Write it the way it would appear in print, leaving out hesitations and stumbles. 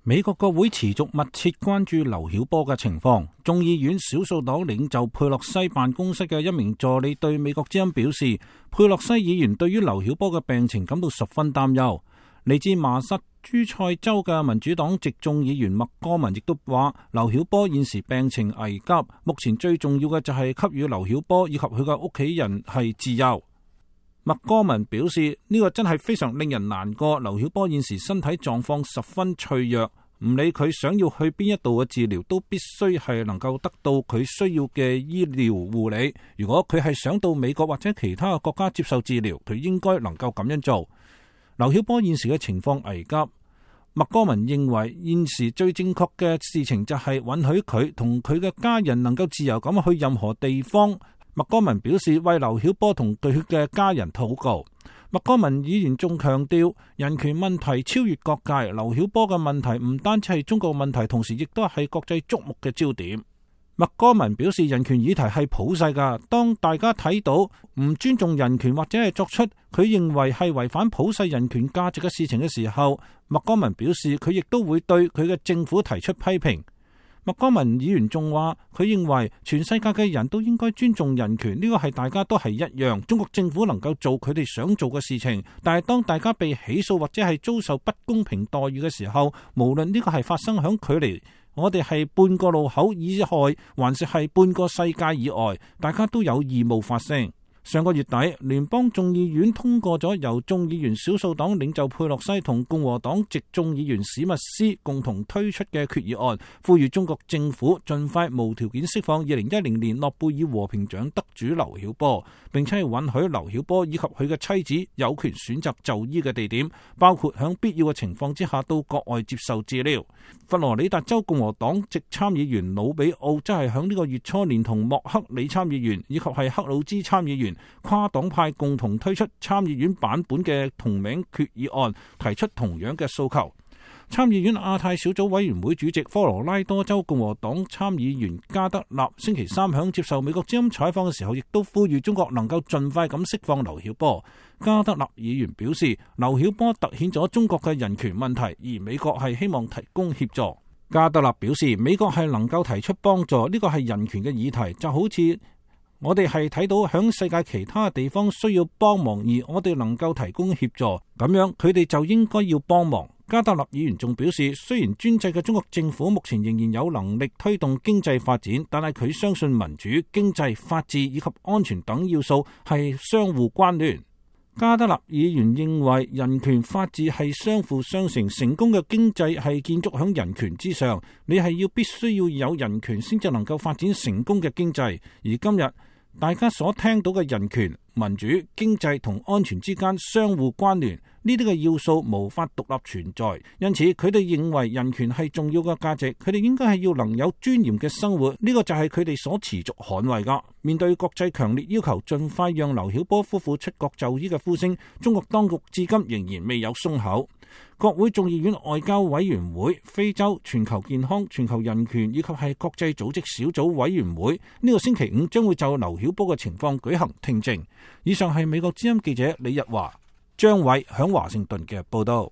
美國國會持續密切關注劉曉波嘅情況。眾議院少數黨領袖佩洛西辦公室嘅一名助理對美國之音表示，佩洛西議員對於劉曉波嘅病情感到十分擔憂。嚟自麻薩諸塞州嘅民主黨籍眾議員麥戈文亦都話，劉曉波現時病情危急，目前最重要嘅就係給予劉曉波以及佢嘅屋企人係自由。麥戈文表示，呢個真係非常令人難過。劉曉波現時身體狀況十分脆弱，唔理佢想要去邊一度嘅治療，都必須係能夠得到佢需要嘅醫療護理。如果佢係想到美國或者其他嘅國家接受治療，佢應該能夠咁樣做。劉曉波現時嘅情況危急，麥戈文認為現時最正確嘅事情就係允許佢同佢嘅家人能夠自由咁去任何地方。麥戈文表示為劉曉波同佢嘅家人禱告。麥戈文議員仲強調，人權問題超越各界，劉曉波嘅問題唔單止係中國問題，同時亦都係國際矚目嘅焦點。麥戈文表示，人權議題係普世噶，當大家睇到唔尊重人權或者係作出佢認為係違反普世人權價值嘅事情嘅時候，麥戈文表示佢亦都會對佢嘅政府提出批評。麥戈文議員仲話，佢認為全世界嘅人都應該尊重人權，呢個係大家都係一樣。中國政府能夠做佢哋想做嘅事情，但係當大家被起訴或者係遭受不公平待遇嘅時候，無論呢個係發生響距離我哋係半個路口以外，還是係半個世界以外，大家都有義務發聲。上個月底，聯邦眾議院通過咗由眾議員少數黨領袖佩洛西同共和黨籍眾議員史密斯共同推出嘅決議案，呼籲中國政府盡快無條件釋放2010年諾貝爾和平獎得主劉曉波，並且係允許劉曉波以及佢嘅妻子有權選擇就醫嘅地點，包括響必要嘅情況之下到國外接受治療。佛羅里達州共和黨籍參議員魯比奧則係響呢個月初連同莫克里參議員以及係克魯茲參議員跨黨派共同推出參議院版本嘅同名決議案，提出同樣嘅訴求。參議院亞太小組委員會主席科羅拉多州共和黨參議員加德納星期三響接受美國之音採訪嘅時候，亦都呼籲中國能夠盡快咁釋放劉曉波。加德納議員表示，劉曉波凸顯咗中國嘅人權問題，而美國係希望提供協助。加德納表示，美國係能夠提出幫助，呢個係人權嘅議題，就好似我哋係睇到響世界其他地方需要幫忙，而我哋能夠提供協助，咁樣佢哋就應該要幫忙。加德納議員仲表示，雖然專制嘅中國政府目前仍然有能力推動經濟發展，但係佢相信民主、經濟、法治以及安全等要素係相互關聯。加德納議員認為人權法治係相輔相成，成功嘅經濟係建築喺人權之上，你係必須要有人權先至能夠發展成功嘅經濟。而今日大家所聽到嘅人權、民主、經濟同安全之間相互關聯，呢啲嘅要素無法獨立存在，因此佢哋認為人權係重要嘅價值，佢哋應該係要能有尊嚴嘅生活，呢個就係佢哋所持續捍衛噶。面對國際強烈要求盡快讓劉曉波夫婦出國就醫嘅呼聲，中國當局至今仍然未有鬆口。國會眾議院外交委員會、非洲、全球健康、全球人權以及係國際組織小組委員會呢個星期五將會就劉曉波嘅情況舉行聽證。以上係美國之音記者李日華、張偉響華盛頓嘅報道。